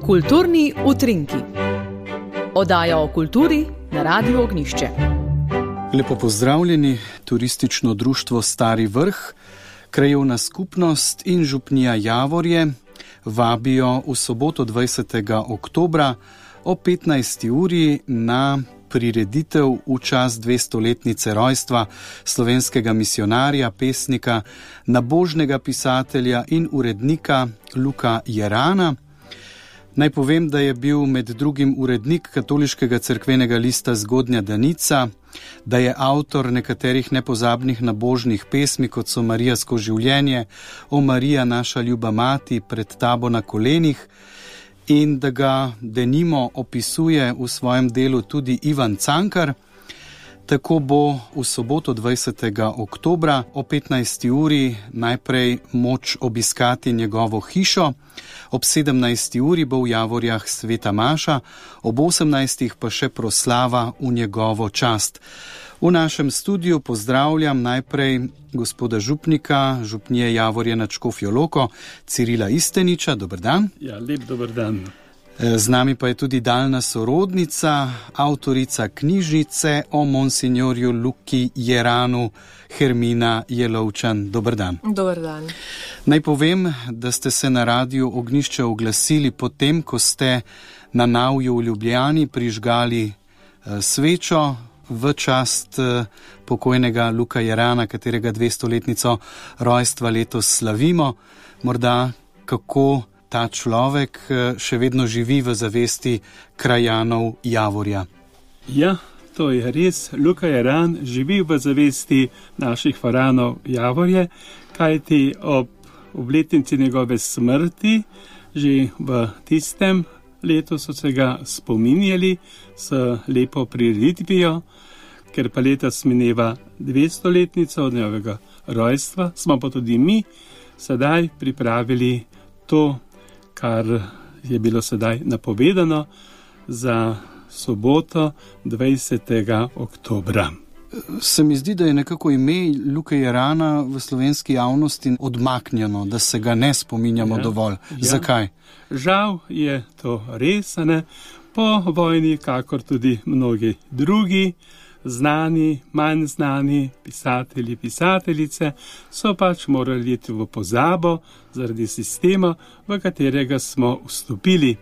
Kulturni utrinki. Oddaja o kulturi na Radiu Ognjišče. Lepo pozdravljeni, turistično društvo Stari Vrh, krajevna skupnost in župnija Javorje vabijo v soboto 20. oktobra o 15. uri na prireditev v čast 200-letnice rojstva slovenskega misionarja, pesnika, nabožnega pisatelja in urednika Luka Jerana. Naj povem, da je bil med drugim urednik katoliškega cerkvenega lista Zgodnja Danica, da je avtor nekaterih nepozabnih nabožnih pesmi, kot so Marijasko življenje, O Marija, naša ljuba mati, Pred tabo na kolenih, in da ga denimo opisuje v svojem delu tudi Ivan Cankar. Tako bo v soboto 20. oktobra o 15. uri najprej moč obiskati njegovo hišo, ob 17. uri bo v Javorjah sveta maša, ob 18. pa še proslava v njegovo čast. V našem studiu pozdravljam najprej gospoda župnika, župnije Javorje nad Škofjo Loko, Cirila Isteniča. Dober dan. Ja, lep dober dan. Z nami pa je tudi daljna sorodnica, avtorica knjižnice o monsignorju Luki Jeranu, Hermina Jelovčan. Dober dan. Dober dan. Naj povem, da ste se na Radiu Ognjišče oglasili potem, ko ste na Navju v Ljubljani prižgali svečo v čast pokojnega Luka Jerana, katerega 200-letnico rojstva letos slavimo. Morda kako ta človek še vedno živi v zavesti krajanov Javorja. Ja, to je res. Luka Jeran živi v zavesti naših faranov Javorje, kajti ob obletnici njegove smrti že v tistem letu so se ga spominjali s lepo prireditvijo, ker pa letos mineva 200-letnico od njegovega rojstva, smo pa tudi mi sedaj pripravili to, kar je bilo sedaj napovedano za soboto 20. oktobra. Se mi zdi, da je nekako ime Luke Jerana v slovenski javnosti odmaknjeno, da se ga ne spominjamo dovolj. Zakaj? Žal je to res, ne? Po vojni, kakor tudi mnogi drugi, znani, manj znani pisatelji, pisateljice so pač morali iti v pozabo zaradi sistema, v katerega smo vstopili.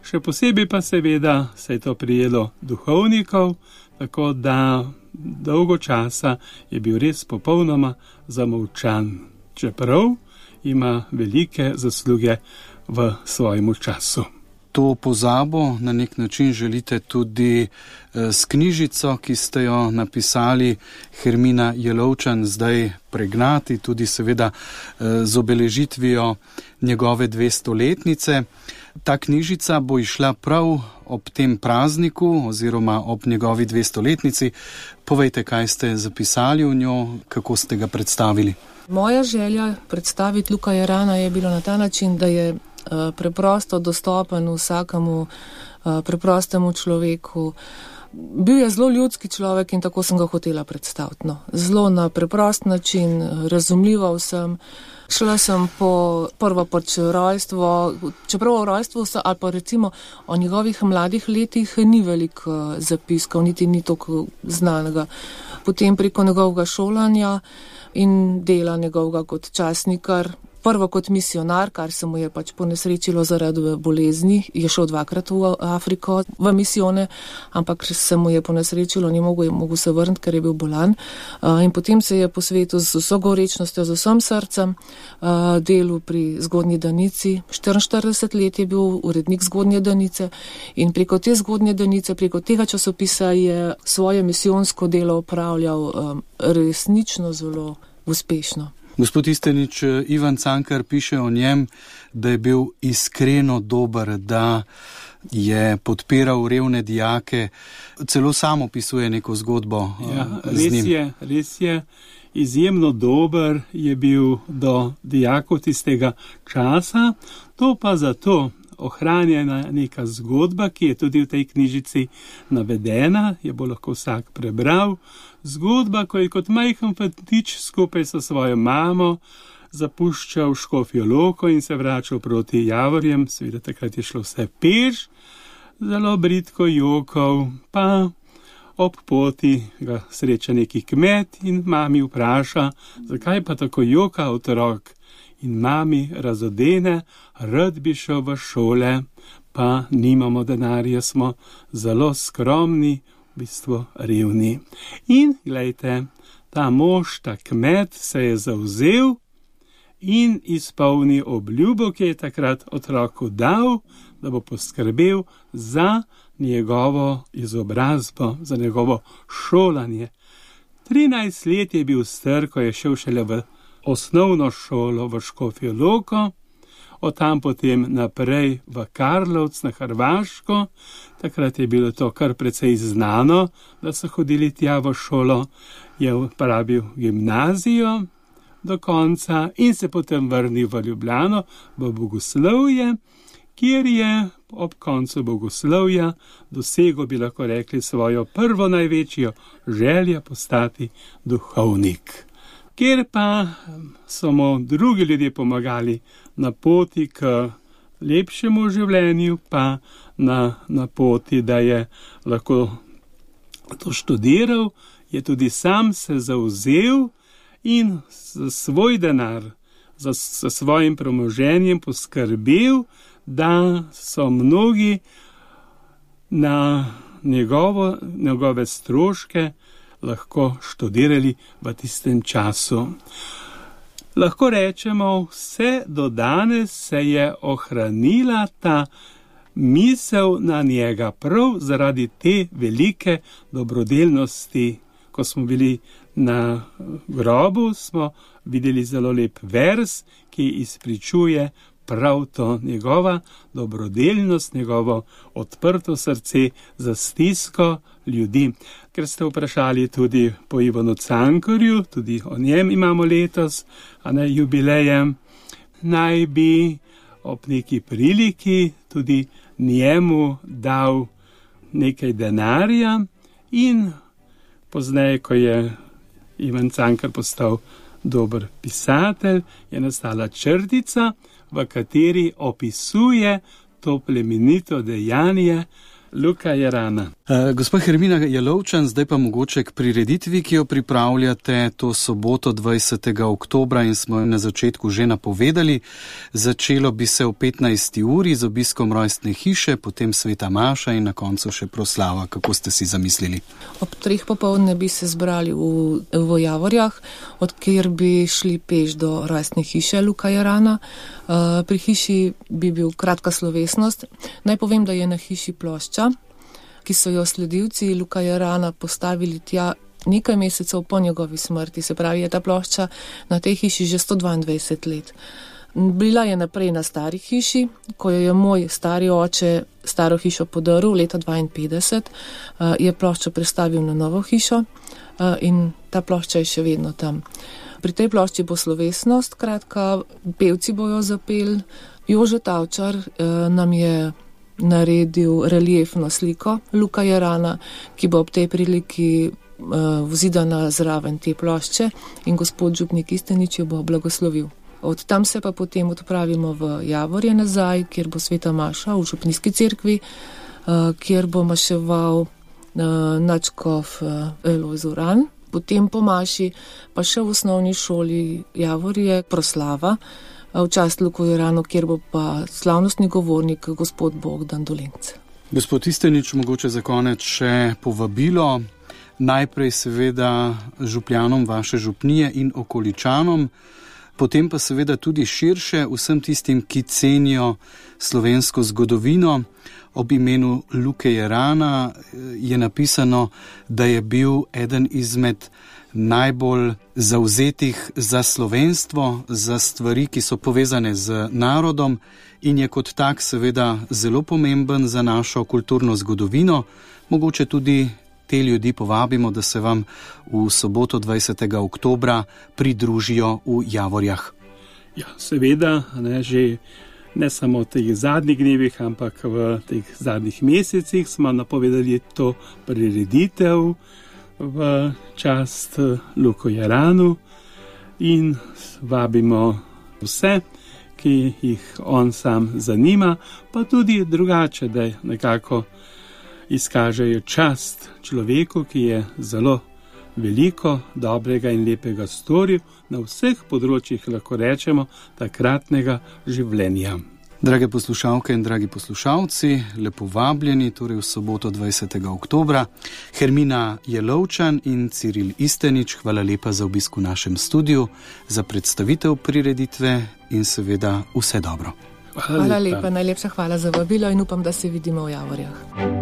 Še posebej pa seveda se je to prijelo duhovnikov, tako da dolgo časa je bil res popolnoma zamolčan, čeprav ima velike zasluge v svojem času. To pozabo na nek način želite tudi s knjižico, ki ste jo napisali, Hermina Jelovčan, zdaj pregnati, tudi seveda z obeležitvijo njegove 200-letnice. Ta knjižica bo išla prav ob tem prazniku oziroma ob njegovi 200-letnici. Povejte, kaj ste zapisali v njo, kako ste ga predstavili. Moja želja predstaviti Luka Jerana je bilo na ta način, da je preprosto dostopen vsakemu preprostemu človeku. Bil je zelo ljudski človek in tako sem ga hotela predstaviti. No. Zelo na preprost način, razumljivo vsem. Šla sem po prvo pač rojstvo, čeprav o rojstvu ali pa recimo o njegovih mladih letih ni veliko zapiskov, niti ni toliko znanega. Potem preko njegovega šolanja in dela njegovega kot časnikar, prvo kot misionar, kar se mu je pač ponesrečilo zaradi bolezni, je šel 2-krat v Afriko v misijone, ampak se mu je ponesrečilo, ni mogel se vrniti, ker je bil bolan. In potem se je posvetil z vso gorečnostjo, z vsem srcem delu pri Zgodnji Danici. 44 let je bil urednik Zgodnje Danice in preko te Zgodnje Danice, preko tega časopisa je svoje misijonsko delo opravljal resnično zelo uspešno. Gospod Istenič, Ivan Cankar piše o njem, da je bil iskreno dober, da je podpiral revne dijake, celo sam opisuje neko zgodbo z njim. Res je, izjemno dober je bil do dijakov tistega časa, to pa zato ohranjena neka zgodba, ki je tudi v tej knjižici navedena, je bo lahko vsak prebral. Zgodba, ko je kot majhen fantič skupaj s svojo mamo zapuščal Škofjo Loko in se vračal proti Javorjem, seveda takrat je šlo vse peš, zelo bridko jokal, pa ob poti ga sreča neki kmet in mami vpraša, zakaj pa tako joka otrok. In mami razodene, rad bi šel v šole, pa nimamo denarja, smo zelo skromni, v bistvu revni. In glejte, ta mož, ta kmet se je zavzel in izpolnil obljubo, ki je takrat otroku dal, da bo poskrbel za njegovo izobrazbo, za njegovo šolanje. 13 let je bil star, ko je šel šele v osnovno šolo v Škofjo Loko, od tam potem naprej v Karlovc na Hrvaško. Takrat je bilo to kar precej znano, da so hodili tja v šolo, je uporabil gimnazijo do konca in se potem vrnil v Ljubljano, v bogoslovje, kjer je ob koncu bogoslovja dosegel, bi lahko rekli, svojo prvo največjo željo postati duhovnik. Kjer pa so mu drugi ljudje pomagali na poti k lepšemu življenju, pa na poti, da je lahko to študiral, je tudi sam se zavzel in za svoj denar, za svojim premoženjem poskrbel, da so mnogi na njegove stroške lahko študirali v tistem času. Lahko rečemo, vse do danes se je ohranila ta misel na njega, prav zaradi te velike dobrodelnosti. Ko smo bili na grobu, smo videli zelo lep vers, ki izpričuje prav to, njegova dobrodelnost, njegovo odprto srce za stisko ljudi. Ker ste vprašali tudi po Ivanu Cankarju, tudi o njem imamo letos, a ne jubilejem, naj bi ob neki priliki tudi njemu dal nekaj denarja in pozneje, ko je Ivan Cankar postal dober pisatelj, je nastala črtica, v kateri opisuje to plemenito dejanje Luka Jarana. Gospa Hermina Jelovčan, zdaj pa mogoče k prireditvi, ki jo pripravljate to soboto 20. oktobra in smo jo na začetku že napovedali. Začelo bi se v 15. uri z obiskom rojstne hiše, potem sveta maša in na koncu še proslava. Kako ste si zamislili? Ob 3 popoldne bi se zbrali v Javorjah, od kjer bi šli peš do rojstne hiše Luka Jarana. Pri hiši bi bil kratka slovesnost. Naj povem, da je na hiši plošča, ki so jo sledilci Luka Jarana postavili tja nekaj mesecev po njegovi smrti. Se pravi, je ta plošča na tej hiši že 122 let. Bila je naprej na stari hiši, ko jo je moj stari oče staro hišo podaril leta 52, je ploščo prestavil na novo hišo in ta plošča je še vedno tam. Pri tej plošči bo slovesnost, kratka, pevci bojo zapeli. Jože Tavčar nam je naredil reliefno sliko Luka Jarana, ki bo ob tej priliki vzidana zraven te plošče in gospod župnik Istenič jo bo blagoslovil. Od tam se pa potem odpravimo v Javorje nazaj, kjer bo sveta maša v župnijski cerkvi, kjer bo maševal nadškof Lojz Uran. Potem po maši pa še v osnovni šoli Javorje proslava v čast Luku Jaranu, kjer bo pa slavnostni govornik gospod Bogdan Dolenc. Gospod Istenič, mogoče za konec še povabilo. Najprej seveda župljanom vaše župnije in okoličanom, potem pa seveda tudi širše vsem tistim, ki cenijo slovensko zgodovino. Ob imenu Luke Jarana je napisano, da je bil eden izmed najbolj zavzetih za slovenstvo, za stvari, ki so povezane z narodom in je kot tak seveda zelo pomemben za našo kulturno zgodovino. Mogoče tudi te ljudi povabimo, da se vam v soboto 20. oktobra pridružijo v Javorjah. Ja, seveda, ne samo v teh zadnjih dnevih, ampak v teh zadnjih mesecih smo napovedali to prireditev v čast Luku Jaranu in vabimo vse, ki jih on sam zanima, pa tudi drugače, da nekako izkažejo čast človeku, ki je zelo veliko dobrega in lepega storil na vseh področjih, lahko rečemo, takratnega življenja. Drage poslušalke in dragi poslušalci, lepo vabljeni, torej v soboto 20. oktobra. Hermina Jelovčan in Ciril Istenič, hvala lepa za obisk v našem studiu, za predstavitev prireditve in seveda vse dobro. Hvala lepa, najlepša hvala za vabilo in upam, da se vidimo v Javorjah.